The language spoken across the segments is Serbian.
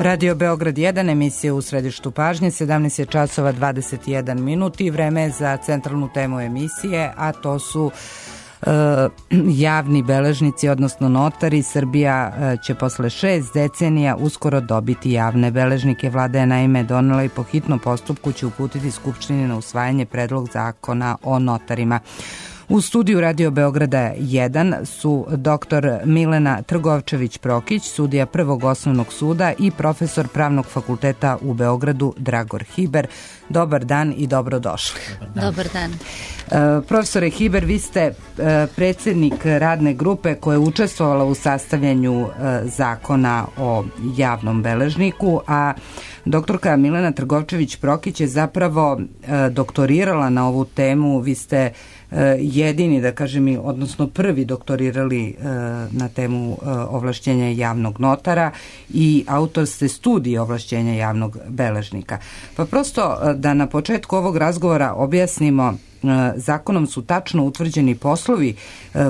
Radio Beograd 1, emisija U središtu pažnje, 17 je časova 21 minut i vreme je za centralnu temu emisije, a to su javni beležnici, odnosno notari. Srbija će posle 6 decenija uskoro dobiti javne beležnike. Vlada je naime donela i po hitnom postupku će uputiti Skupštini na usvajanje predlog zakona o notarima. U studiju Radio Beograda 1 su dr. Milena Trgovčević-Prokić, sudija Prvog osnovnog suda i profesor Pravnog fakulteta u Beogradu Dragor Hiber. Dobar dan i dobrodošli. Dobar dan. Profesore Hiber, vi ste predsjednik radne grupe koja je učestvovala u sastavljanju zakona o javnom beležniku, a doktorka Milena Trgovčević-Prokić je zapravo doktorirala na ovu temu. Vi ste jedini, da kažem, odnosno prvi doktorirali na temu ovlašćenja javnog notara i autor ste studije ovlašćenja javnog beležnika. Pa prosto da na početku ovog razgovora objasnimo, zakonom su tačno utvrđeni poslovi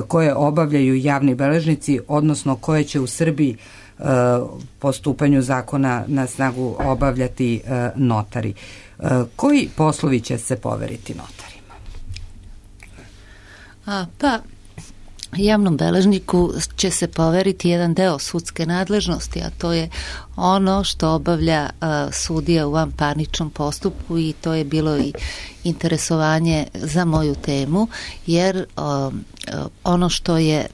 koje obavljaju javni beležnici, odnosno koje će u Srbiji po stupanju zakona na snagu obavljati notari. Koji poslovi će se poveriti notarima? Pa, javnom beležniku će se poveriti jedan deo sudske nadležnosti, a to je ono što obavlja sudija u vanparničnom postupku, i to je bilo i interesovanje za moju temu, jer ono što je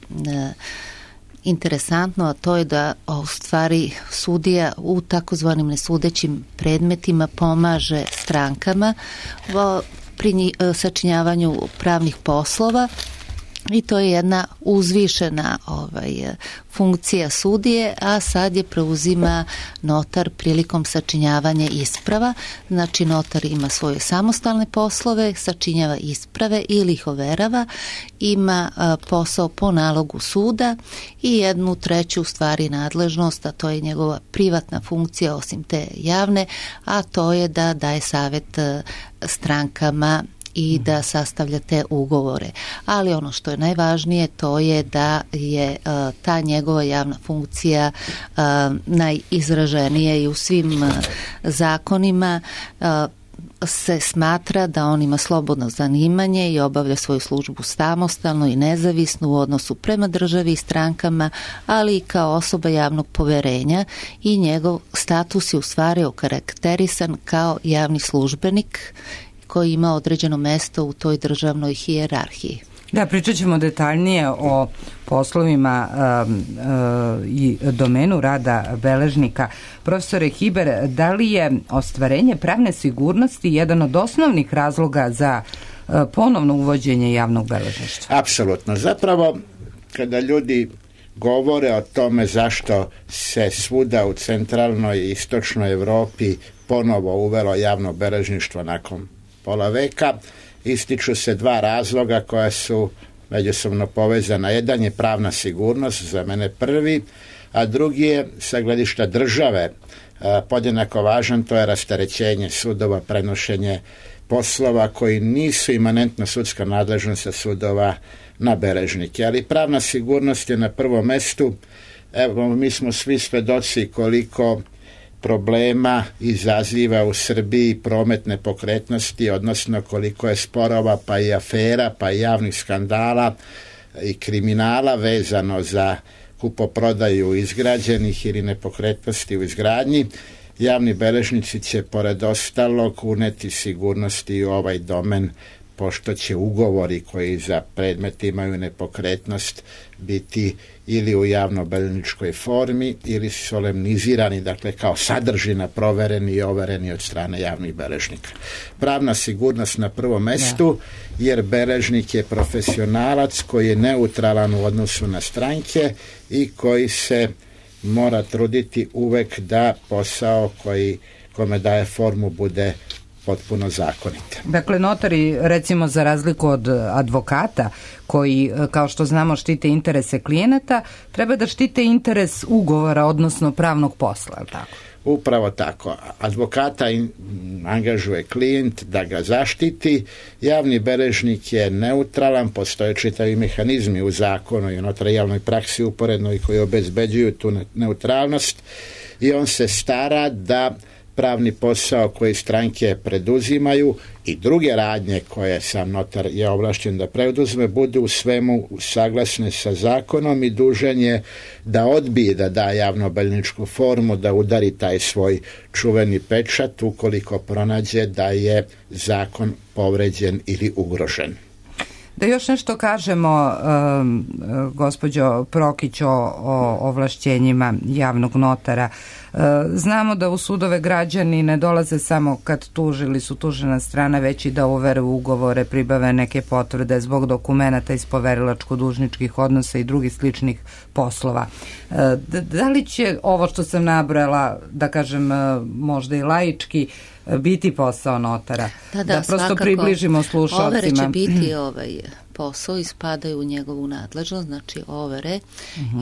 interesantno, a to je da u stvari sudija u takozvanim nesudećim predmetima pomaže strankama pri sačinjavanju pravnih poslova, i to je jedna uzvišena funkcija sudije, a sad je preuzima notar prilikom sačinjavanja isprava. Znači notar ima svoje samostalne poslove, sačinjava isprave ili ih overava, ima posao po nalogu suda i jednu treću stvari nadležnost, a to je njegova privatna funkcija osim te javne, a to je da daje savjet strankama i da sastavlja te ugovore. Ali ono što je najvažnije, to je da je ta njegova javna funkcija najizraženija i u svim zakonima se smatra da on ima slobodno zanimanje i obavlja svoju službu samostalno i nezavisno u odnosu prema državi i strankama, ali i kao osoba javnog poverenja, i njegov status je u stvari okarakterisan kao javni službenik koji ima određeno mesto u toj državnoj hijerarhiji. Da, pričat ćemo detaljnije o poslovima i domenu rada beležnika. Profesore Hiber, da li je ostvarenje pravne sigurnosti jedan od osnovnih razloga za ponovno uvođenje javnog beležništva? Apsolutno. Zapravo, kada ljudi govore o tome zašto se svuda u centralnoj i istočnoj Evropi ponovo uvelo javno beležništvo nakon pola veka, ističu se dva razloga koja su međusobno povezana. Jedan je pravna sigurnost, za mene prvi, a drugi je sa gledišta države podjednako važan, to je rasterećenje sudova, prenošenje poslova koji nisu imanentno sudska nadležnost sa sudova na beležnike. Ali pravna sigurnost je na prvom mestu. Evo, mi smo svi svedoci koliko problema izaziva u Srbiji promet nepokretnosti, odnosno koliko je sporova, pa i afera, pa i javnih skandala i kriminala vezano za kupoprodaju izgrađenih ili nepokretnosti u izgradnji. Javni beležnici će pored ostalog uneti sigurnosti u ovaj domen, pošto će ugovori koji za predmet imaju nepokretnost biti ili u javnobeležničkoj formi ili solemnizirani, dakle kao sadržina, provereni i overeni od strane javnih beležnika. Pravna sigurnost na prvom mestu, jer beležnik je profesionalac koji je neutralan u odnosu na stranke i koji se mora truditi uvek da posao kome daje formu bude potpuno zakonite. Dakle, notari, recimo za razliku od advokata koji, kao što znamo, štite interese klijenata, treba da štite interes ugovora, odnosno pravnog posla, je li tako? Upravo tako. Advokata angažuje klijent da ga zaštiti, javni beležnik je neutralan, postoje čitavi mehanizmi u zakonu i u notarijalnoj praksi uporednoj koji obezbeđuju tu neutralnost. i on se stara da pravni posao koji stranke preduzimaju i druge radnje koje sam notar je ovlašćen da preduzme budu u svemu saglasne sa zakonom i dužan je da odbije da da javnobilježničku formu, da udari taj svoj čuveni pečat ukoliko pronađe da je zakon povređen ili ugrožen. Da još nešto kažemo, gospođo Prokić, o ovlašćenjima javnog notara. Znamo da u sudove građani ne dolaze samo kad tuže ili su tužena strana, već i da overe ugovore, pribave neke potvrde zbog dokumenata iz poverilačko-dužničkih odnosa i drugih sličnih poslova. Da li će ovo što sam nabrojala, da kažem možda i laički, biti posao notara? Da prosto svakako približimo slušalcima. Overe će biti posao i spadaju u njegovu nadležnost, znači overe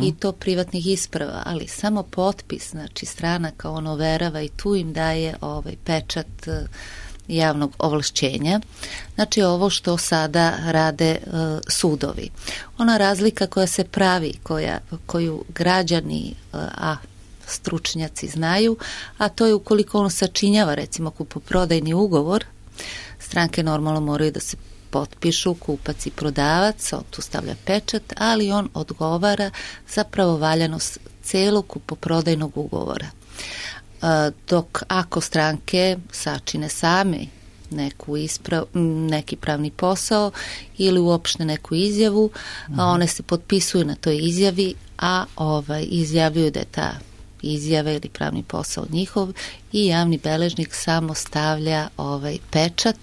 i to privatnih isprava, ali samo potpis, znači stranaka on overava i tu im daje pečat javnog ovlašćenja. Znači ovo što sada rade sudovi. Ona razlika koja se pravi, koju građani, stručnjaci znaju, a to je ukoliko on sačinjava recimo kupoprodajni ugovor, stranke normalno moraju da se potpišu, kupac i prodavac, on tu stavlja pečat, ali on odgovara za pravovaljanost celog kupoprodajnog ugovora. Dok ako stranke sačine sami neki pravni posao ili uopšte neku izjavu, one se potpisuju na toj izjavi, a izjavljuju da je ta izjava ili pravni posao njihov i javni beležnik samo stavlja pečat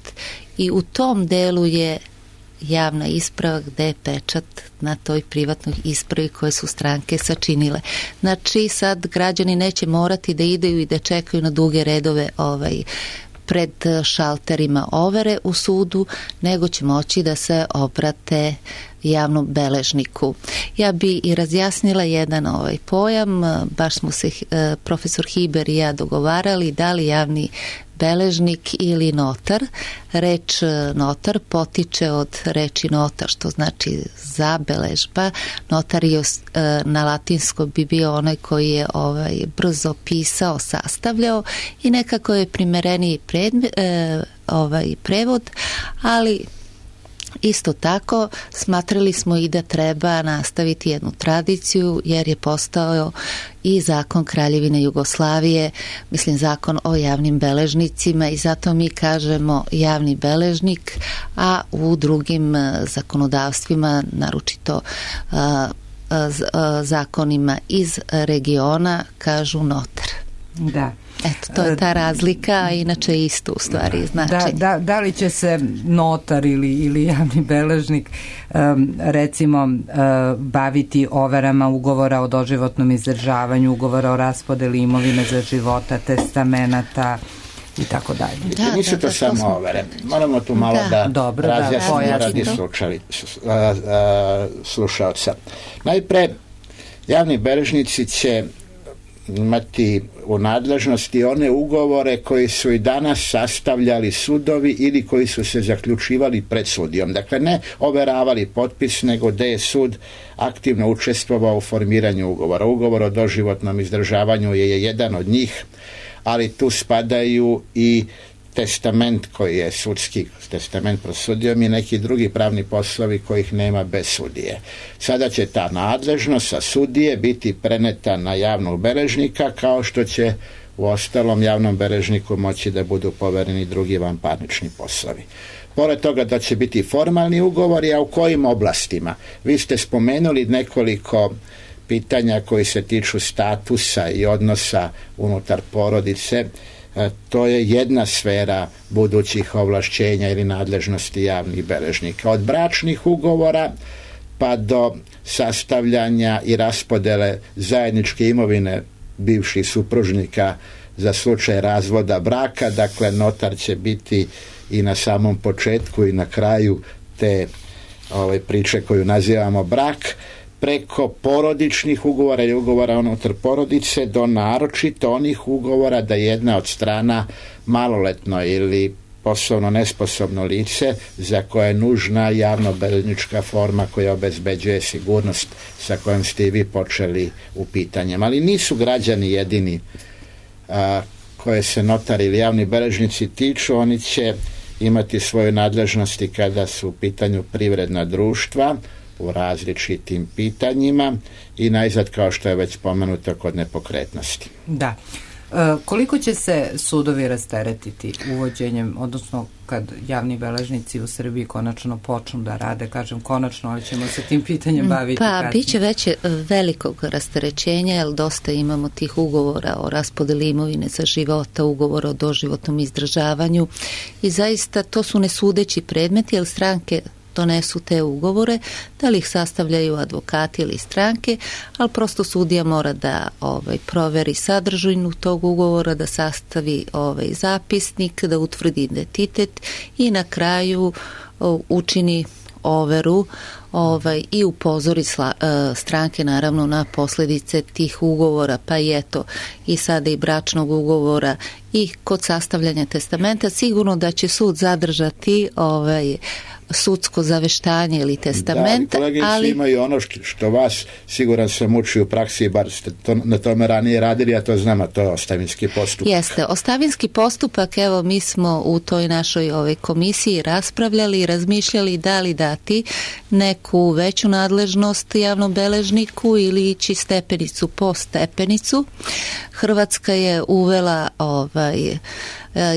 i u tom delu je javna isprava gde je pečat na toj privatnoj ispravi koje su stranke sačinile. Znači sad građani neće morati da ideju i da čekaju na duge redove pred šalterima overe u sudu, nego će moći da se obrate javnom beležniku. Ja bi i razjasnila jedan pojam, baš smo se profesor Hiber i ja dogovarali da li javni beležnik ili notar. Reč notar potiče od reči nota, što znači zabeležba. Notarius na latinskom bi bio onaj koji je brzo pisao, sastavljao i nekako je primereniji prevod, ali isto tako smatrali smo i da treba nastaviti jednu tradiciju jer je postao i zakon Kraljevine Jugoslavije, mislim zakon o javnim beležnicima i zato mi kažemo javni beležnik, a u drugim zakonodavstvima, naročito zakonima iz regiona, kažu notar. Da. Eto, to je ta razlika, a inače isto u stvari znači. Da li će se notar ili javni beležnik recimo baviti overama ugovora o doživotnom izdržavanju, ugovora o raspodeli imovine za života, testamenata i tako dalje. Nisu to samo overe. Moramo tu malo razjasnimo radi slušalca. Najpre, javni beležnici će imati u nadležnosti one ugovore koji su i danas sastavljali sudovi ili koji su se zaključivali pred sudijom. Dakle, ne overavali potpis, nego da je sud aktivno učestvovao u formiranju ugovora. Ugovor o doživotnom izdržavanju je jedan od njih, ali tu spadaju i testament koji je sudski testament pred sudijom i neki drugi pravni poslovi kojih nema bez sudije. Sada će ta nadležnost sa sudije biti preneta na javnog beležnika, kao što će u ostalom javnom beležniku moći da budu povereni drugi vanparnični poslovi. Pored toga da će biti formalni ugovori, a u kojim oblastima? Vi ste spomenuli nekoliko pitanja koji se tiču statusa i odnosa unutar porodice. To je jedna sfera budućih ovlašćenja ili nadležnosti javnih beležnika. Od bračnih ugovora pa do sastavljanja i raspodele zajedničke imovine bivših supružnika za slučaj razvoda braka. Dakle, notar će biti i na samom početku i na kraju te priče koju nazivamo brak, preko porodičnih ugovora ili ugovora unutar porodice do naročito onih ugovora da jedna od strana maloletno ili poslovno nesposobno lice za koje je nužna javno-beležnička forma koja obezbeđuje sigurnost sa kojom ste i vi počeli u pitanjem. Ali nisu građani jedini koje se notari ili javni beležnici tiču, oni će imati svoje nadležnosti kada su u pitanju privredna društva u različitim pitanjima i najzad, kao što je već spomenuto, kod nepokretnosti. Da. Koliko će se sudovi rasteretiti uvođenjem, odnosno kad javni beležnici u Srbiji konačno počnu da rade, kažem konačno, ali ćemo se tim pitanjem baviti kasnije. Biće već velikog rasterećenja, jer dosta imamo tih ugovora o raspodeli imovine za života, ugovora o doživotnom izdržavanju i zaista to su nesudeći predmeti, jer stranke donesu te ugovore, da li ih sastavljaju advokati ili stranke, ali prosto sudija mora da proveri sadržinu tog ugovora, da sastavi zapisnik, da utvrdi identitet i na kraju učini overu i upozori stranke naravno na posljedice tih ugovora, pa i eto i sada i bračnog ugovora i kod sastavljanja testamenta. Sigurno da će sud zadržati sudsko zaveštanje ili testament. Da, kolegice imaju ono što vas, siguran sam, uči u praksi, bar ste na tome ranije radili, a to znam, a to je ostavinski postupak. Jeste, ostavinski postupak, evo mi smo u toj našoj komisiji raspravljali i razmišljali da li dati neku veću nadležnost javnom beležniku ili ići stepenicu po stepenicu. Hrvatska je uvela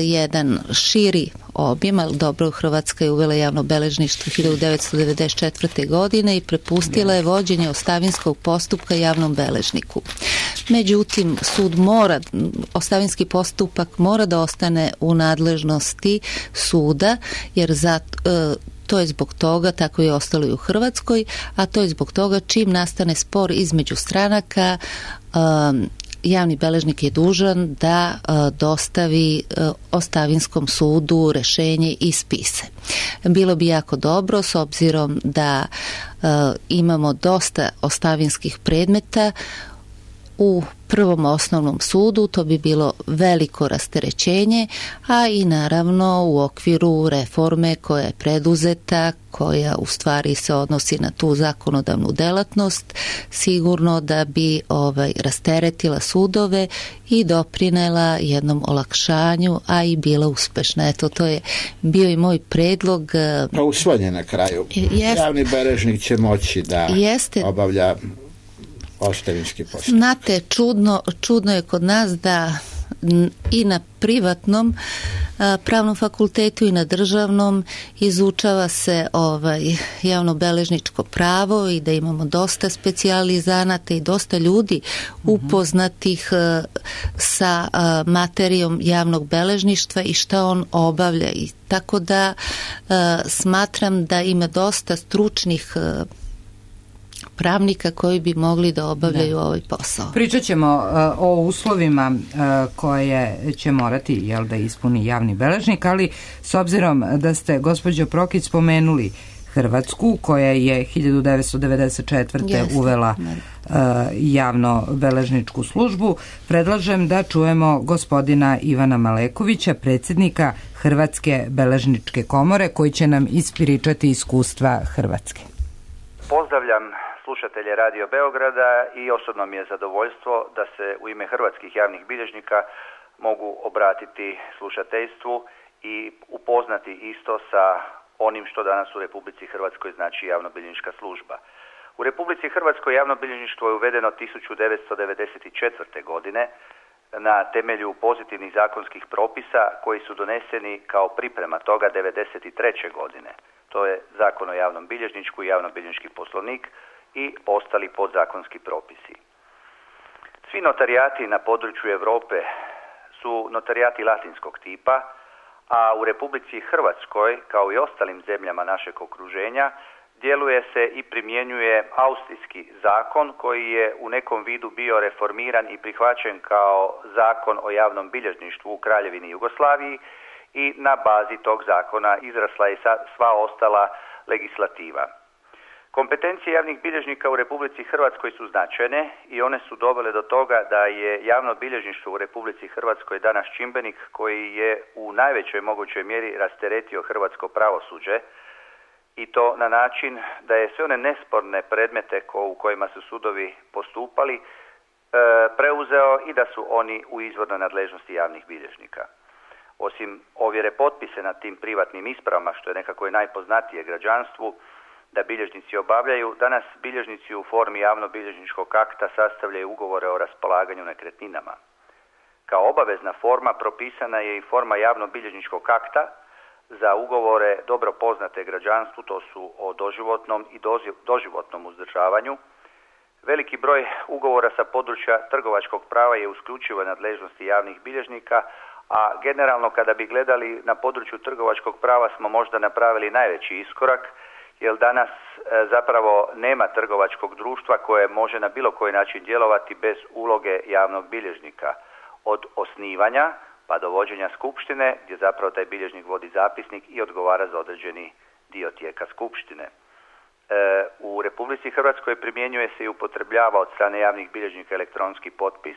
jedan širi objem, ali dobro, Hrvatska je uvela javno beležništvo 1994. godine i prepustila je vođenje ostavinskog postupka javnom beležniku. Međutim, ostavinski postupak mora da ostane u nadležnosti suda, jer to je zbog toga, tako je ostalo i u Hrvatskoj, a to je zbog toga čim nastane spor između stranaka, javni beležnik je dužan da dostavi ostavinskom sudu rješenje i spise. Bilo bi jako dobro, s obzirom da imamo dosta ostavinskih predmeta u prvom osnovnom sudu, to bi bilo veliko rasterećenje, a i naravno u okviru reforme koja je preduzeta, koja u stvari se odnosi na tu zakonodavnu delatnost, sigurno da bi rasteretila sudove i doprinela jednom olakšanju, a i bila uspešna. Eto, to je bio i moj predlog. Pa usvojen na kraju. Javni beležnik će moći da obavlja ostavinski postupak. Znate, čudno je kod nas da i na privatnom pravnom fakultetu i na državnom izučava se javnobeležničko pravo i da imamo dosta specijalizanata i dosta ljudi upoznatih sa materijom javnog beležništva i šta on obavlja. I tako da smatram da ima dosta stručnih pravnika koji bi mogli da obavljaju ovaj posao. Pričat ćemo o uslovima koje će morati da ispuni javni beležnik, ali s obzirom da ste, gospođo Prokić, spomenuli Hrvatsku, koja je 1994. uvela javno-beležničku službu, predlažem da čujemo gospodina Ivana Malekovića, predsjednika Hrvatske beležničke komore, koji će nam ispričati iskustva Hrvatske. Pozdravljam slušatelje Radio Beograda i osobno mi je zadovoljstvo da se u ime hrvatskih javnih bilježnika mogu obratiti slušateljstvu i upoznati isto sa onim što danas u Republici Hrvatskoj znači javnobilježnička služba. U Republici Hrvatskoj javnobilježništvo je uvedeno 1994. godine na temelju pozitivnih zakonskih propisa koji su doneseni kao priprema toga 1993. godine. To je Zakon o javnom bilježničku i javnobilježnički poslovnik i ostali podzakonski propisi. Svi notarijati na području Europe su notarijati latinskog tipa, a u Republici Hrvatskoj, kao i ostalim zemljama našeg okruženja, djeluje se i primjenjuje austrijski zakon koji je u nekom vidu bio reformiran i prihvaćen kao zakon o javnom bilježništvu u Kraljevini Jugoslaviji i na bazi tog zakona izrasla je sva ostala legislativa. Kompetencije javnih bilježnika u Republici Hrvatskoj su značajne i one su dovele do toga da je javno bilježništvo u Republici Hrvatskoj danas čimbenik koji je u najvećoj mogućoj mjeri rasteretio hrvatsko pravosuđe i to na način da je sve one nesporne predmete u kojima su sudovi postupali preuzeo i da su oni u izvornoj nadležnosti javnih bilježnika. Osim ovjere potpise nad tim privatnim ispravama, što je nekako i najpoznatije građanstvu, da bilježnici obavljaju, danas bilježnici u formi javnobilježničkog akta sastavljaju ugovore o raspolaganju nekretninama. Kao obavezna forma propisana je i forma javnobilježničkog akta za ugovore dobro poznate građanstvu, to su o doživotnom i doživotnom uzdržavanju. Veliki broj ugovora sa područja trgovačkog prava je u isključivoj nadležnosti javnih bilježnika, a generalno kada bi gledali na području trgovačkog prava smo možda napravili najveći iskorak, jer danas zapravo nema trgovačkog društva koje može na bilo koji način djelovati bez uloge javnog bilježnika. Od osnivanja pa do vođenja skupštine, gdje zapravo taj bilježnik vodi zapisnik i odgovara za određeni dio tijeka skupštine. U Republici Hrvatskoj primjenjuje se i upotrebljava od strane javnih bilježnika elektronski potpis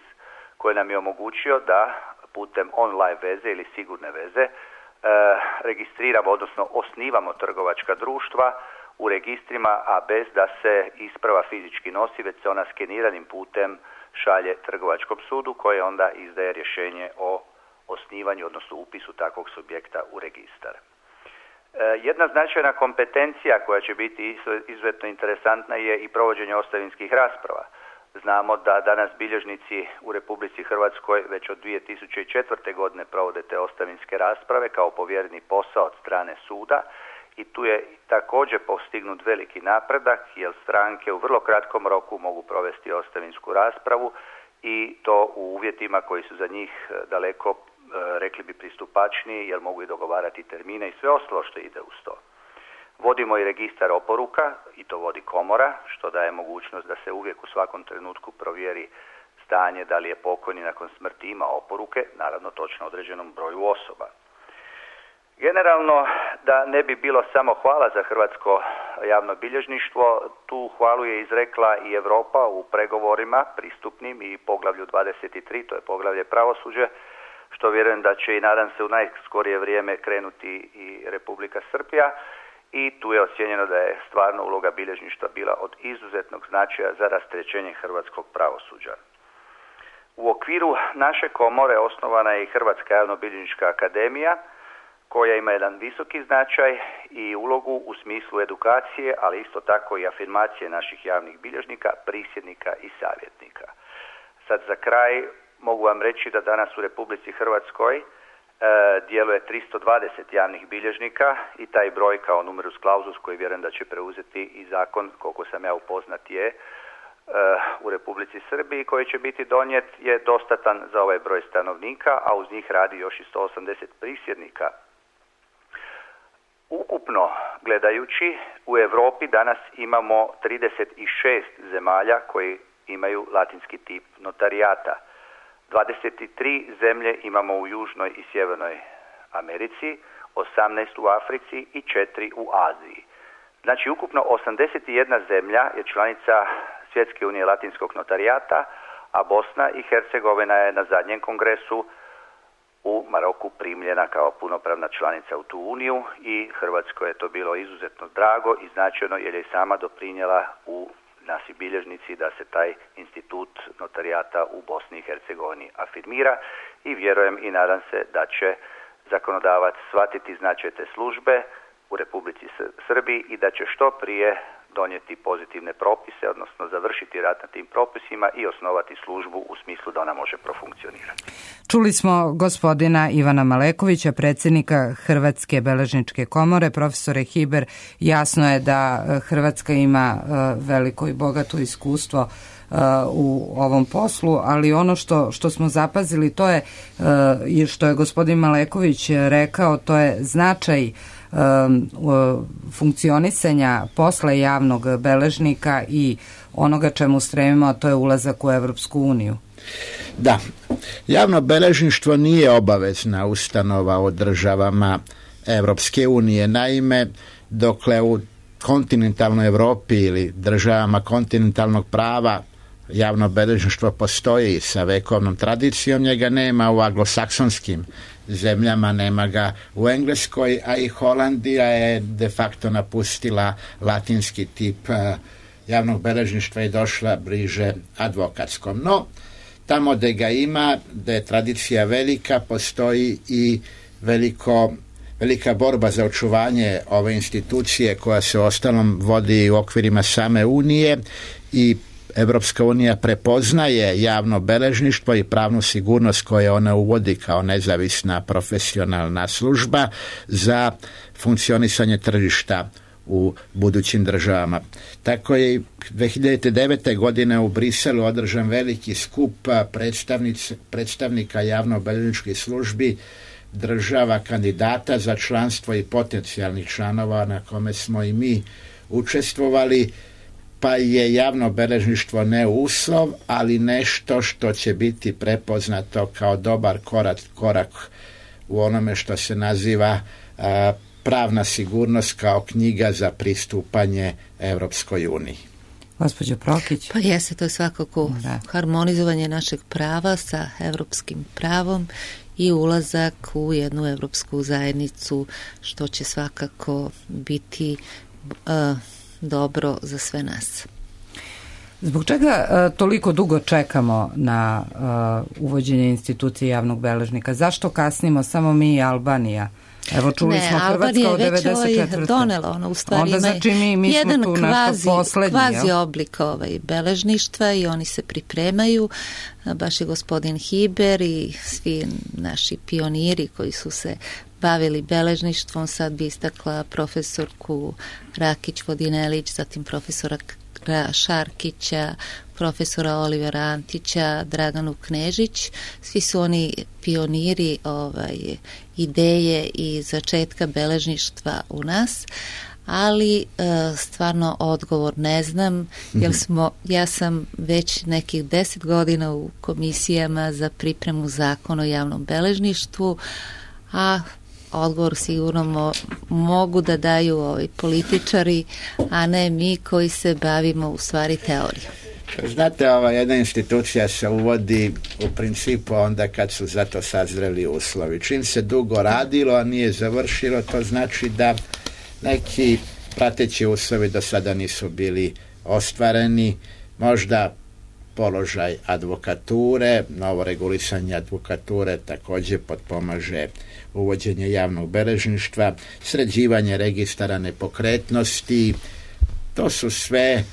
koji nam je omogućio da putem online veze ili sigurne veze registriramo, odnosno osnivamo trgovačka društva u registrima, a bez da se isprava fizički nosi, već se ona skeniranim putem šalje trgovačkom sudu koji onda izdaje rješenje o osnivanju, odnosno upisu takvog subjekta u registar. Jedna značajna kompetencija koja će biti izuzetno interesantna je i provođenje ostavinskih rasprava. Znamo da danas bilježnici u Republici Hrvatskoj već od 2004. godine provode te ostavinske rasprave kao povjereni posao od strane suda i tu je također postignut veliki napredak jer stranke u vrlo kratkom roku mogu provesti ostavinsku raspravu i to u uvjetima koji su za njih daleko, rekli bi, pristupačniji jer mogu i dogovarati termine i sve ostalo što ide uz to. Vodimo i registar oporuka i to vodi komora, što daje mogućnost da se uvijek u svakom trenutku provjeri stanje da li je pokojni nakon smrti ima oporuke, naravno točno određenom broju osoba. Generalno, da ne bi bilo samo hvala za hrvatsko javno bilježništvo, tu hvalu je izrekla i Europa u pregovorima pristupnim i poglavlju 23, to je poglavlje pravosuđe, što vjerujem da će i nadam se u najskorije vrijeme krenuti i Republika Srbija. I tu je ocijenjeno da je stvarno uloga bilježništva bila od izuzetnog značaja za rasterećenje hrvatskog pravosuđa. U okviru naše komore osnovana je i Hrvatska javnobilježnička akademija koja ima jedan visoki značaj i ulogu u smislu edukacije, ali isto tako i afirmacije naših javnih bilježnika, prisjednika i savjetnika. Sad za kraj mogu vam reći da danas u Republici Hrvatskoj djeluje 320 javnih bilježnika i taj broj kao numerus clausus koji vjerujem da će preuzeti i zakon, koliko sam ja upoznat, je u Republici Srbiji koji će biti donijet je dostatan za ovaj broj stanovnika, a uz njih radi još i 180 prisjednika. Ukupno gledajući u Europi danas imamo 36 zemalja koji imaju latinski tip notarijata. 23 zemlje imamo u Južnoj i Sjevernoj Americi, 18 u Africi i 4 u Aziji. Znači ukupno 81 zemlja je članica Svjetske unije latinskog notarijata, a Bosna i Hercegovina je na zadnjem kongresu u Maroku primljena kao punopravna članica u tu uniju i Hrvatskoj je to bilo izuzetno drago i značajno jer je sama doprinijela u naši bilježnici da se taj institut notarijata u Bosni i Hercegovini afirmira i vjerujem i nadam se da će zakonodavac shvatiti značaj te službe u Republici Srbiji i da će što prije donijeti pozitivne propise, odnosno završiti rad na tim propisima i osnovati službu u smislu da ona može profunkcionirati. Čuli smo gospodina Ivana Malekovića, predsjednika Hrvatske beležničke komore. Profesore Hiber, jasno je da Hrvatska ima veliko i bogato iskustvo u ovom poslu, ali ono što smo zapazili to je, što je gospodin Maleković rekao, to je značaj funkcionisanja posla javnog beležnika i onoga čemu stremimo, a to je ulazak u Evropsku uniju. Da, javno beležništvo nije obavezna ustanova u državama Evropske unije. Naime, dokle u kontinentalnoj Europi ili državama kontinentalnog prava javno beležništvo postoji sa vekovnom tradicijom, njega nema u anglosaksonskim zemljama, nema ga u Engleskoj, a i Holandija je de facto napustila latinski tip javnog beležništva je došla bliže advokatskom. No, tamo gde ga ima, da je tradicija velika, postoji i velika borba za očuvanje ove institucije koja se ostalom vodi u okvirima same Unije i Evropska unija prepoznaje javno beležništvo i pravnu sigurnost koje ona uvodi kao nezavisna profesionalna služba za funkcionisanje tržišta u budućim državama. Tako je 2009. godine u Briselu održan veliki skup predstavnika javno-beležničkih službi država kandidata za članstvo i potencijalnih članova na kome smo i mi učestvovali, pa je javno beležništvo ne uslov, ali nešto što će biti prepoznato kao dobar korak u onome što se naziva pravna sigurnost kao knjiga za pristupanje Evropskoj uniji. Gospođo Prokić. Pa jeste, to je svakako harmonizovanje našeg prava sa evropskim pravom i ulazak u jednu evropsku zajednicu, što će svakako biti dobro za sve nas. Zbog čega toliko dugo čekamo na uvođenje institucije javnog beležnika? Zašto kasnimo samo mi i Albanija? Evo čuli smo Hrvatska od 94. Već donela, ona u stvari onda znači mi jedan smo tu nešto poslednji. Kvazi oblik beležništva i oni se pripremaju. Baš je gospodin Hiber i svi naši pioniri koji su se bavili beležništvom, sad bi istakla profesorku Rakić-Vodinelić, zatim profesora Šarkića, profesora Olivera Antića, Draganu Knežić. Svi su oni pioniri ideje i začetka beležništva u nas, ali stvarno odgovor ne znam, jer ja sam već nekih 10 godina u komisijama za pripremu zakona o javnom beležništvu, a odgovor sigurno mogu da daju političari, a ne mi koji se bavimo u stvari teorijom. Znate, jedna institucija se uvodi u principu onda kad su za to sazreli uslovi. Čim se dugo radilo, a nije završilo, to znači da neki prateći uslovi do sada nisu bili ostvareni. Možda položaj advokature, novo regulisanje advokature također potpomaže uvođenje javnog beležništva, sređivanje registara nepokretnosti. To su sve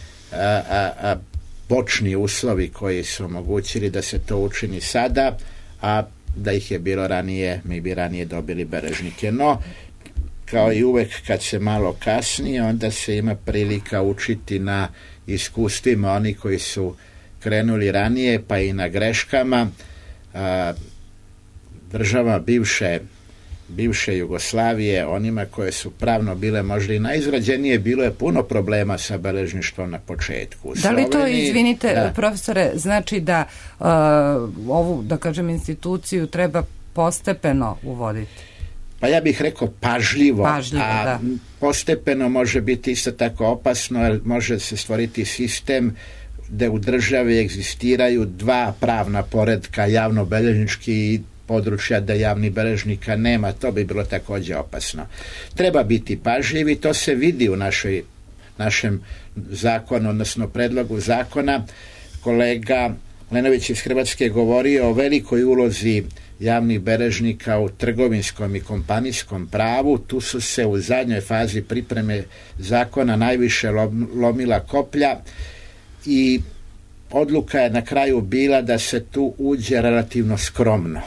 počni uslovi koji su omogućili da se to učini sada, a da ih je bilo ranije, mi bi ranije dobili beležnike. No, kao i uvek kad se malo kasni, onda se ima prilika učiti na iskustvima oni koji su krenuli ranije, pa i na greškama. Država bivše Jugoslavije, onima koje su pravno bile možda i najizrađenije, bilo je puno problema sa beležništvom na početku. Da li to, izvinite, profesore, znači da ovu, da kažem, instituciju treba postepeno uvoditi? Pa ja bih rekao pažljivo, da. Postepeno može biti isto tako opasno, jer može se stvoriti sistem gde u državi egzistiraju dva pravna poretka, javno-beležnički i područja da javnih beležnika nema, to bi bilo također opasno. Treba biti pažljiv i to se vidi u našem zakonu, odnosno predlogu zakona. Kolega Lenović iz Hrvatske govorio o velikoj ulozi javnih beležnika u trgovinskom i kompanijskom pravu. Tu su se u zadnjoj fazi pripreme zakona najviše lomila koplja i odluka je na kraju bila da se tu uđe relativno skromno.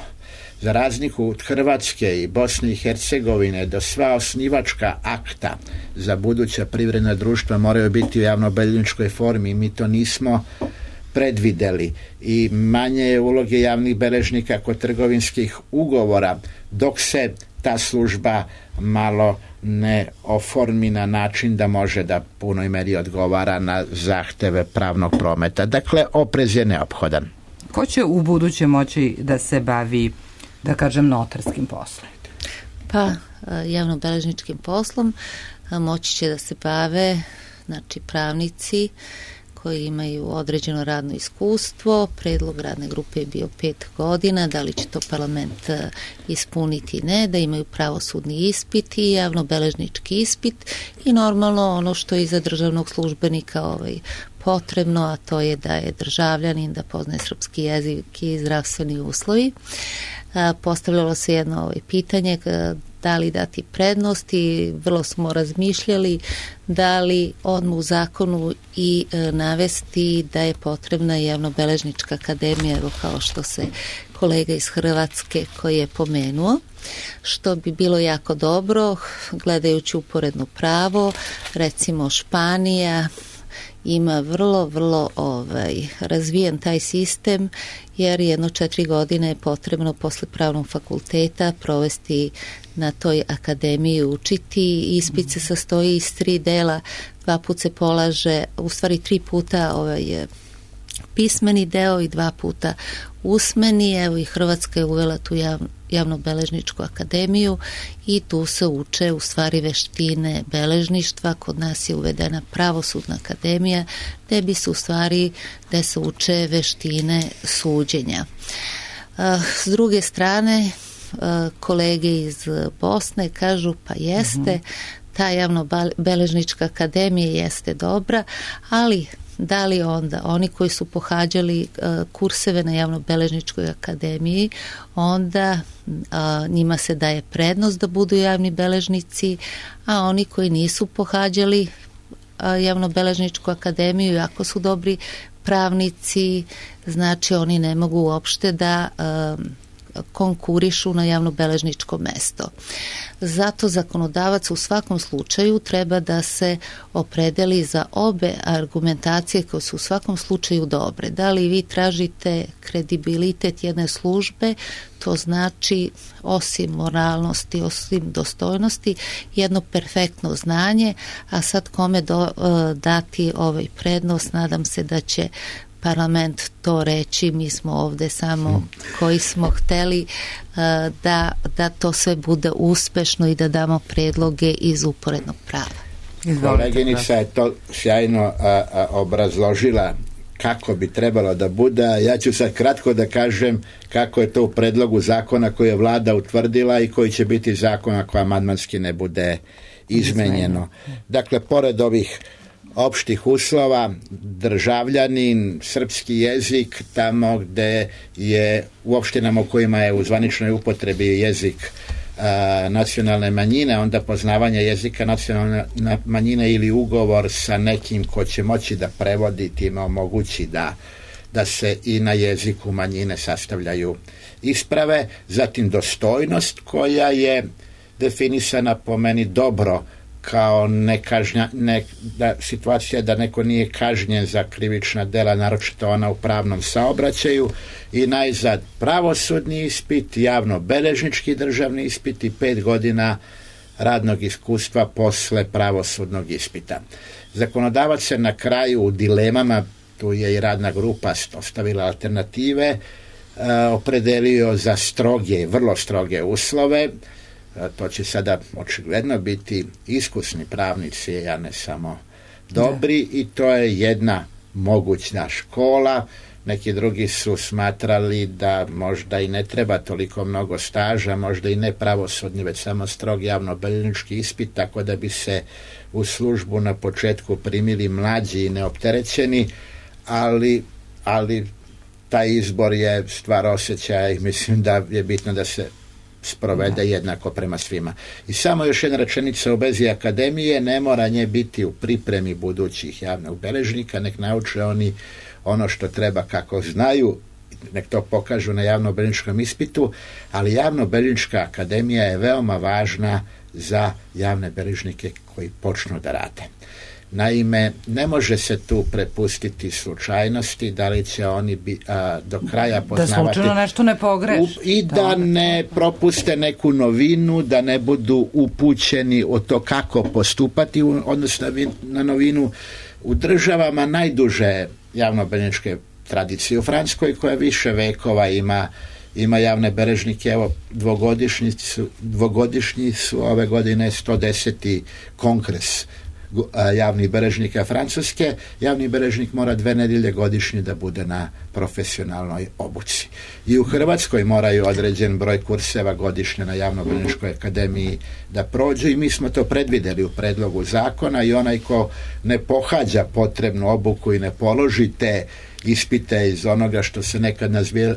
Za razliku od Hrvatske i Bosne i Hercegovine, da sva osnivačka akta za buduća privredna društva moraju biti u javnobeležničkoj formi. Mi to nismo predvideli i manje je uloge javnih beležnika kod trgovinskih ugovora, dok se ta služba malo ne oformi na način da može da punoj meri odgovara na zahteve pravnog prometa. Dakle, oprez je neophodan. Ko će u buduće moći da se bavi, da kažem, notarskim poslom? Pa, javno-beležničkim poslom moći će da se bave, znači, pravnici koji imaju određeno radno iskustvo. Predlog radne grupe je bio 5 godina, da li će to parlament ispuniti, ne, da imaju pravosudni ispit i javnobeležnički ispit i normalno ono što je za državnog službenika potrebno, a to je da je državljanin, da poznaje srpski jezik i zdravstveni uslovi. Postavljalo se jedno pitanje da li dati prednost i vrlo smo razmišljali da li odmah u zakonu i navesti da je potrebna javnobeležnička akademija, evo kao što se kolega iz Hrvatske koji je pomenuo, što bi bilo jako dobro gledajući uporedno pravo, recimo Španija ima vrlo razvijen taj sistem jer 4 godine je potrebno posle pravnog fakulteta provesti na toj akademiji, učiti. Ispit se sastoji iz 3 dela, 2 puta se polaže, u stvari 3 puta pismeni deo i 2 puta usmeni. Evo i Hrvatska je uvela tu javnobeležničku akademiju i tu se uče u stvari veštine beležništva. Kod nas je uvedena pravosudna akademija gde se uče veštine suđenja. S druge strane, kolege iz Bosne kažu pa jeste, ta javnobeležnička akademija jeste dobra, ali da li onda oni koji su pohađali kurseve na javnobeležničkoj akademiji, onda njima se daje prednost da budu javni beležnici, a oni koji nisu pohađali javnobeležničku akademiju, ako su dobri pravnici, znači oni ne mogu uopšte da konkurišu na javnobeležničko mesto. Zato zakonodavac u svakom slučaju treba da se opredeli za obe argumentacije koje su u svakom slučaju dobre. Da li vi tražite kredibilitet jedne službe, to znači osim moralnosti, osim dostojnosti, jedno perfektno znanje, a sad kome dati prednost, nadam se da će parlament to reći, mi smo ovde samo koji smo hteli da to sve bude uspešno i da damo predloge iz uporednog prava. Koleginica je to sjajno obrazložila kako bi trebalo da bude. Ja ću sad kratko da kažem kako je to u predlogu zakona koji je vlada utvrdila i koji će biti zakon ako amandmanski ne bude izmenjeno. Dakle, pored ovih opštih uslova, državljanin, srpski jezik, tamo gde je u opštinama u kojima je u zvaničnoj upotrebi jezik nacionalne manjine, onda poznavanje jezika nacionalne manjine ili ugovor sa nekim ko će moći da prevodi, time omogući da se i na jeziku manjine sastavljaju isprave. Zatim dostojnost koja je definisana po meni dobro kao situacija da neko nije kažnjen za krivična dela, naročito ona u pravnom saobraćaju, i najzad pravosudni ispit, javno-beležnički državni ispit i 5 godina radnog iskustva posle pravosudnog ispita. Zakonodavac se na kraju u dilemama, tu je i radna grupa ostavila alternative, opredelio za vrlo stroge uslove. To će sada očigledno biti iskusni pravnici, a ne samo dobri, i to je jedna mogućna škola. Neki drugi su smatrali da možda i ne treba toliko mnogo staža, možda i ne pravosudni, već samo strog javno-beležnički ispit, tako da bi se u službu na početku primili mlađi i neopterećeni, ali taj izbor je stvar osjećaja i mislim da je bitno da se sprovede jednako prema svima. I samo još jedna rečenica u vezi akademije, ne mora nje biti u pripremi budućih javnog beležnika, nek nauče oni ono što treba kako znaju, nek to pokažu na javno-beležničkom ispitu, ali javno-beležnička akademija je veoma važna za javne beležnike koji počnu da rade. Naime, ne može se tu prepustiti slučajnosti, da li će oni do kraja poznavati... Da slučajno nešto ne pogreši. I da ne propuste neku novinu, da ne budu upućeni o to kako postupati, odnosno na novinu. U državama najduže javno-beležničke tradicije, u Francuskoj koja više vekova ima javne beležnike, evo dvogodišnji su ove godine 110. kongres javnih beležnika Francuske, javni beležnik mora 2 nedjelje godišnje da bude na profesionalnoj obuci. I u Hrvatskoj moraju određen broj kurseva godišnje na javnobeležničkoj akademiji da prođu i mi smo to predvidjeli u predlogu zakona i onaj ko ne pohađa potrebnu obuku i ne položi te ispite iz onoga što se nekad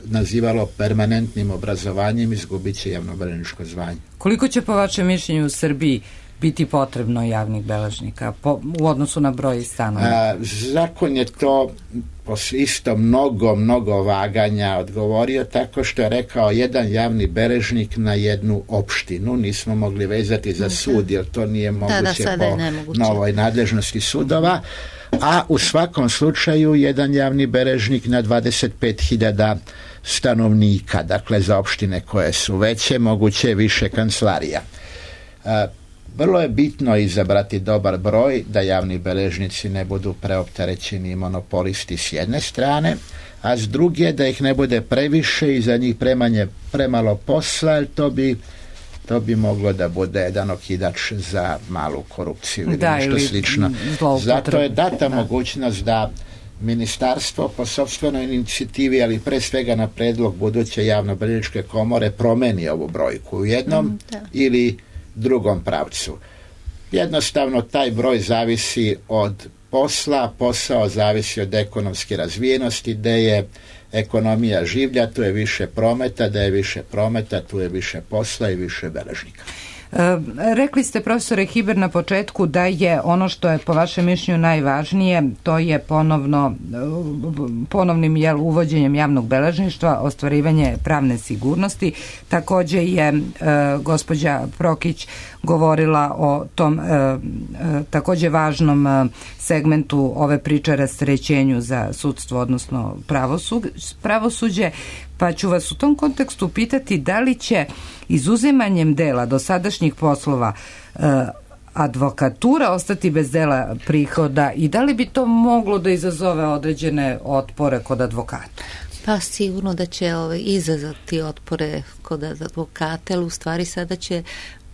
nazivalo permanentnim obrazovanjem, izgubit će javnobeležničko zvanje. Koliko će po vašem mišljenju u Srbiji biti potrebno javnih beležnika u odnosu na broj stanova? Zakon je to isto mnogo vaganja odgovorio tako što je rekao jedan javni beležnik na jednu opštinu. Nismo mogli vezati za sud jer to nije moguće po novoj nadležnosti sudova. A u svakom slučaju jedan javni beležnik na 25.000 stanovnika, dakle za opštine koje su veće, moguće više kancelarija. Vrlo je bitno izabrati dobar broj, da javni beležnici ne budu preopterećeni monopolisti s jedne strane, a s druge da ih ne bude previše i za njih premalo posla, jer to bi moglo da bude jedan okidač za malu korupciju ili nešto slično. Zato je data mogućnost da ministarstvo po sopstvenoj inicijativi, ali pre svega na predlog buduće javnobeležničke komore promeni ovu brojku u jednom ili drugom pravcu. Jednostavno taj broj zavisi od posao zavisi od ekonomske razvijenosti, gde je ekonomija življa, tu je više prometa, da je više prometa, tu je više posla i više beležnika. Rekli ste, profesore Hiber, na početku da je ono što je po vašem mišljenju najvažnije, to je ponovnim uvođenjem javnog beležništva, ostvarivanje pravne sigurnosti. Također je gospođa Prokić govorila o tom također važnom segmentu ove priče, rasterećenju za sudstvo, odnosno pravosuđe. Pa ću vas u tom kontekstu pitati da li će izuzimanjem dela dosadašnjih poslova advokatura ostati bez dela prihoda i da li bi to moglo da izazove određene otpore kod advokata? Pa sigurno da će izazvati otpore kod advokata, ali u stvari sada će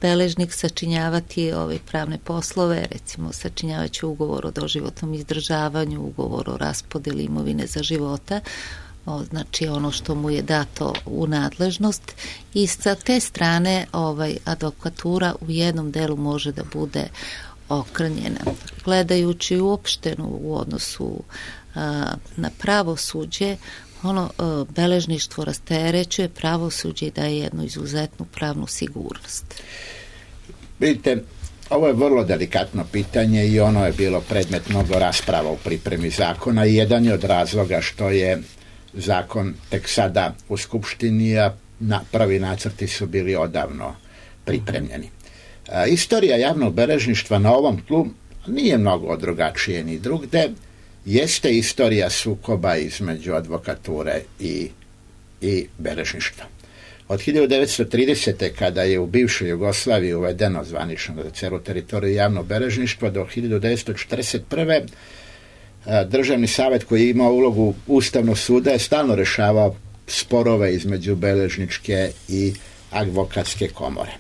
beležnik sačinjavati ove pravne poslove, recimo sačinjavat će ugovor o doživotnom izdržavanju, ugovor o raspodeli imovine za života, znači ono što mu je dato u nadležnost, i sa te strane advokatura u jednom delu može da bude okrnjena. Gledajući uopšteno u odnosu na pravosuđe, beležništvo rasterećuje pravosuđe i daje jednu izuzetnu pravnu sigurnost. Vidite, ovo je vrlo delikatno pitanje i ono je bilo predmet mnogo rasprava u pripremi zakona i jedan je od razloga što je zakon tek sada u Skupštini, a prvi nacrti su bili odavno pripremljeni. Istorija javnog beležništva na ovom tlu nije mnogo drugačije ni drugde. Jeste istorija sukoba između advokature i beležništva. Od 1930. kada je u bivšoj Jugoslaviji uvedeno zvanično za celu teritoriju javno beležništvo, do 1941. Državni savjet koji je imao ulogu Ustavnog suda je stalno rešavao sporove između beležničke i advokatske komore.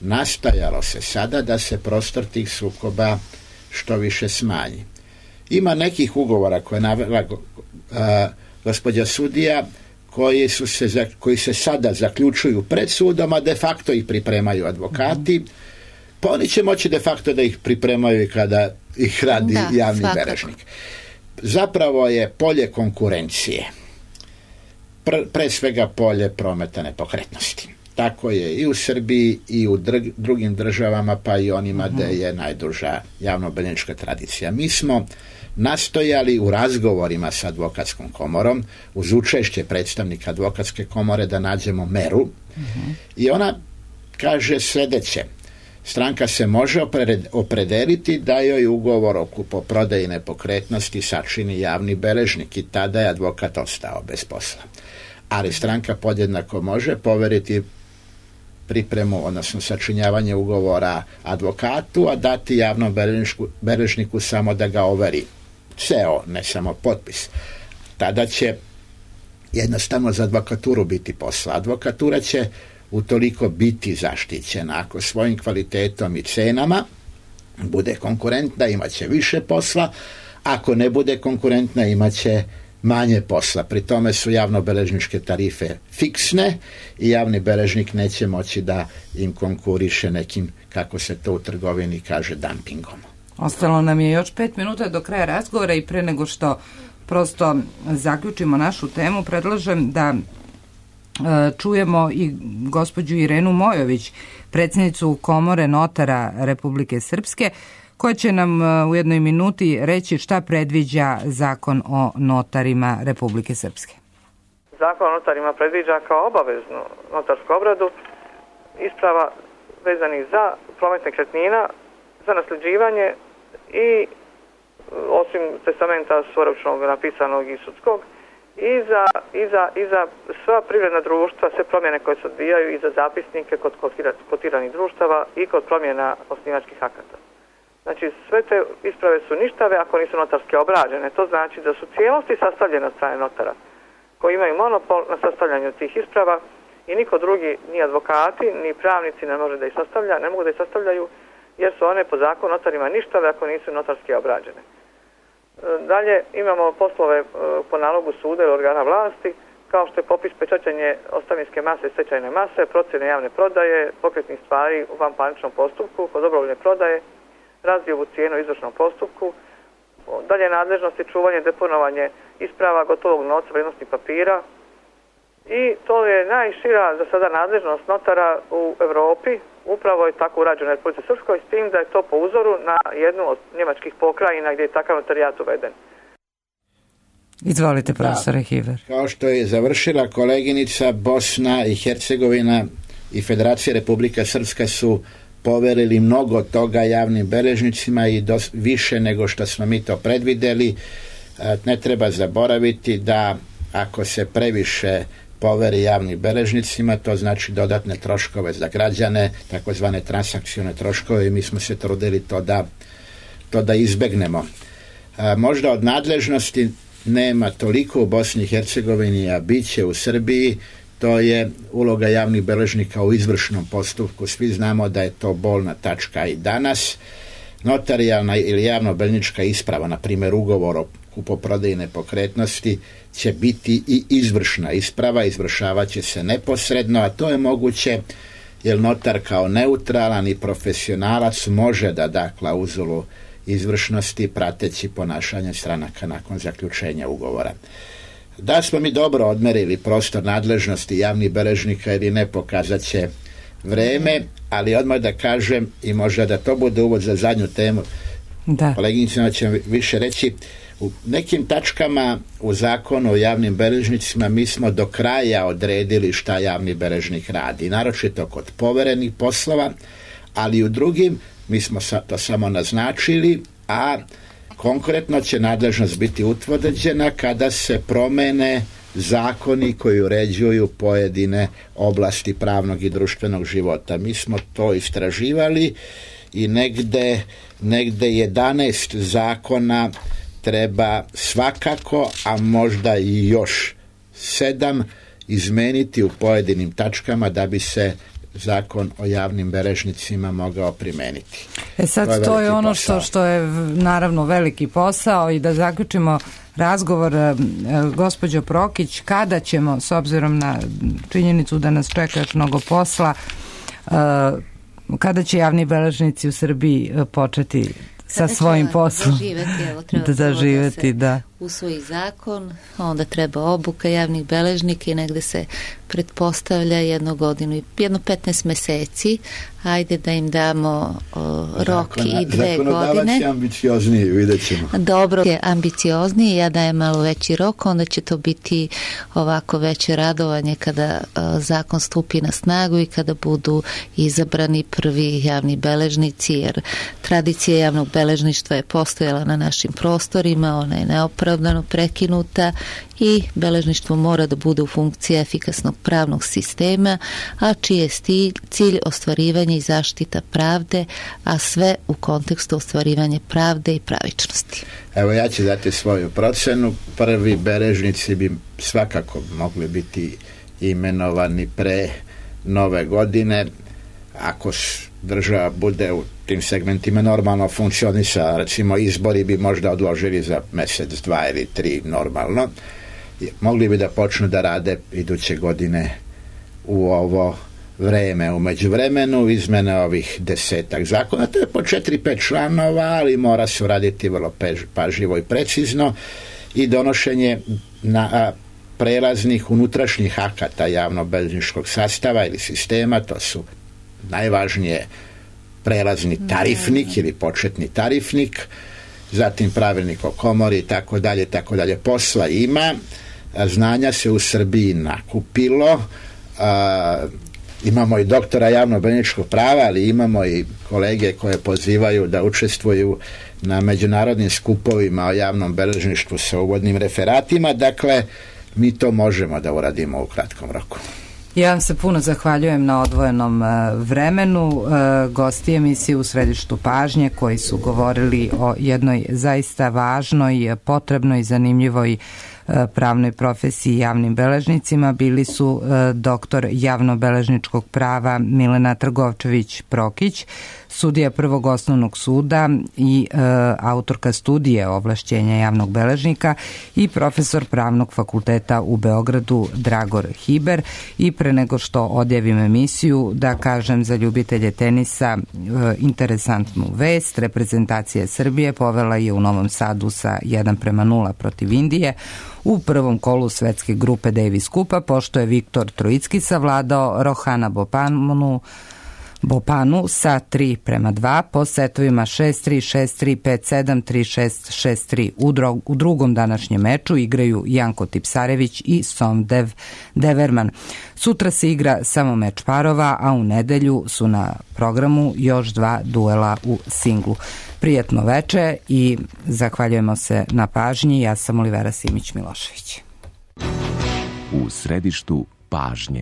Nastojalo se sada da se prostor tih sukoba što više smanji. Ima nekih ugovora koje je navela gospođa sudija koji se sada zaključuju pred sudom, a de facto ih pripremaju advokati, pa oni će moći de facto da ih pripremaju i kada ih radi javni beležnik. Zapravo je polje konkurencije, pre svega polje prometa nepokretnosti. Tako je i u Srbiji i u drugim državama, pa i onima gde je najduža javnobeležnička tradicija. Mi smo nastojali u razgovorima sa advokatskom komorom, uz učešće predstavnika advokatske komore, da nađemo meru i ona kaže sledeće: stranka se može opredeliti da joj ugovor o kupoprodaji nepokretnosti sačini javni beležnik i tada je advokat ostao bez posla. Ali stranka podjednako može poveriti pripremu, odnosno sačinjavanje ugovora advokatu, a dati javnom beležniku samo da ga overi. Ceo, ne samo potpis. Tada će jednostavno za advokaturu biti posla. Advokatura će utoliko biti zaštićena ako svojim kvalitetom i cenama bude konkurentna, imat će više posla, ako ne bude konkurentna, imat će manje posla. Pri tome su javnobeležničke tarife fiksne i javni beležnik neće moći da im konkuriše nekim, kako se to u trgovini kaže, dumpingom. Ostalo nam je još 5 minuta do kraja razgovora i pre nego što prosto zaključimo našu temu, predlažem da čujemo i gospođu Irenu Mojović, predsjednicu Komore notara Republike Srpske, koja će nam u jednoj minuti reći šta predviđa Zakon o notarima Republike Srpske. Zakon o notarima predviđa kao obaveznu notarsku obradu isprava vezanih za promet nekretnina, za nasljeđivanje i osim testamenta svoročnog napisanog i sudskog i za sva privredna društva, sve promjene koje se odvijaju i za zapisnike kod kotiranih društava i kod promjena osnivačkih akata. Znači, sve te isprave su ništave ako nisu notarske obrađene. To znači da su cijelosti sastavljene od strane notara, koji imaju monopol na sastavljanju tih isprava i niko drugi, ni advokati, ni pravnici ne mogu da ih sastavljaju, jer su one po zakonu notarima ništave ako nisu notarske obrađene. Dalje imamo poslove po nalogu suda ili organa vlasti, kao što je popis, pečaćenje ostavinske mase i stečajne mase, procjene javne prodaje, pokretnih stvari u vanparničnom postupku, kod dobrovoljne prodaje, razdiobu cijenu u izvršnom postupku, dalje nadležnosti, čuvanje, deponovanje isprava, gotovog novca, vrijednosnih papira i to je najšira za sada nadležnost notara u Europi. Upravo je tako urađeno u Republici Srpskoj, s tim da je to po uzoru na jednu od njemačkih pokrajina gdje je takav notarijat uveden. Izvolite, profesore Hiver. Kao što je završila koleginica, Bosna i Hercegovina i Federacija Republika Srpska su poverili mnogo toga javnim beležnicima i više nego što smo mi to predvideli. Ne treba zaboraviti da ako se previše poveri javnim beležnicima, to znači dodatne troškove za građane, takozvane transakcione troškove, i mi smo se trudili to da izbegnemo. Možda od nadležnosti nema toliko u Bosni i Hercegovini, a bit će u Srbiji. To je uloga javnih beležnika u izvršnom postupku. Svi znamo da je to bolna tačka i danas. Notarijalna ili javno-beležnička isprava, na primjer ugovor o kupoprodaji nepokretnosti, će biti i izvršna isprava, izvršavat će se neposredno, a to je moguće jer notar kao neutralan i profesionalac može da da klauzulu izvršnosti prateći ponašanje stranaka nakon zaključenja ugovora. Da smo mi dobro odmerili prostor nadležnosti javnih beležnika ili ne, pokazat će vreme, ali odmah da kažem i možda da to bude uvod za zadnju temu, koleginicima će više reći, u nekim tačkama u zakonu o javnim beležnicima mi smo do kraja odredili šta javni beležnik radi, naročito kod poverenih poslova, ali u drugim mi smo to samo naznačili, a konkretno će nadležnost biti utvrđena kada se promene zakoni koji uređuju pojedine oblasti pravnog i društvenog života. Mi smo to istraživali i negde 11 zakona treba svakako, a možda i još 7 izmeniti u pojedinim tačkama da bi se zakon o javnim beležnicima mogao primeniti. Sad to je ono što je naravno veliki posao. I da zaključimo razgovor, gospođo Prokić, kada ćemo, s obzirom na činjenicu da nas čeka još mnogo posla, kada će javni beležnici u Srbiji početi sa svojim poslom zaživeti, da usvoji zakon, onda treba obuka javnih beležnika i negde se pretpostavlja jednu godinu i 15 meseci. Ajde da im damo rok i 2 godine. Zakonodavac je ambiciozniji, vidjet ćemo. Dobro, je ambiciozniji, ja dajem malo veći rok, onda će to biti ovako veće radovanje kada zakon stupi na snagu i kada budu izabrani prvi javni beležnici, jer tradicija javnog beležništva je postojala na našim prostorima, ona je neopravdano prekinuta i beležništvo mora da bude u funkciji efikasnog pravnog sistema, a čiji je cilj ostvarivanje i zaštita pravde, a sve u kontekstu ostvarivanja pravde i pravičnosti. Evo, ja ću dati svoju procenu. Prvi beležnici bi svakako mogli biti imenovani pre nove godine. Ako država bude u tim segmentima normalno funkcionisala. Recimo, izbori bi možda odložili za mesec, 2 ili 3 normalno. Mogli bi da počnu da rade iduće godine u ovo vreme. U međuvremenu izmene ovih 10 zakona, to je po 4-5 članova, ali mora se uraditi vrlo pažljivo i precizno, i donošenje prelaznih unutrašnjih akata javno-beležničkog sastava ili sistema. To su najvažnije prelazni tarifnik ili početni tarifnik, zatim pravilnik o komori i tako dalje. Posla ima, znanja se u Srbiji nakupilo, imamo i doktora javno-beležničkog prava, ali imamo i kolege koje pozivaju da učestvuju na međunarodnim skupovima o javnom beležništvu sa uvodnim referatima. Dakle, mi to možemo da uradimo u kratkom roku. Ja vam se puno zahvaljujem na odvojenom vremenu. Gosti emisije U središtu pažnje koji su govorili o jednoj zaista važnoj, potrebnoj i zanimljivoj pravnoj profesiji javnim beležnicima bili su doktor javno-beležničkog prava Milena Trgovčević-Prokić, sudija Prvog osnovnog suda i autorka studije ovlašćenja javnog beležnika, i profesor Pravnog fakulteta u Beogradu Dragor Hiber. I pre nego što odjavim emisiju, da kažem za ljubitelje tenisa interesantnu vest. Reprezentacija Srbije povela je u Novom Sadu sa 1-0 protiv Indije u prvom kolu svetske grupe Davis Kupa, pošto je Viktor Trojicki savladao Rohana Bopanu sa 3-2 po setovima 6-3, 6-3, 5-7, 3-6, 6-3. U drugom današnjem meču igraju Janko Tipsarević i Somdev Deverman. Sutra se igra samo meč parova, a u nedelju su na programu još 2 duela u singlu. Prijetno veče i zahvaljujemo se na pažnji. Ja sam Olivera Simić-Milošević. U središtu pažnje.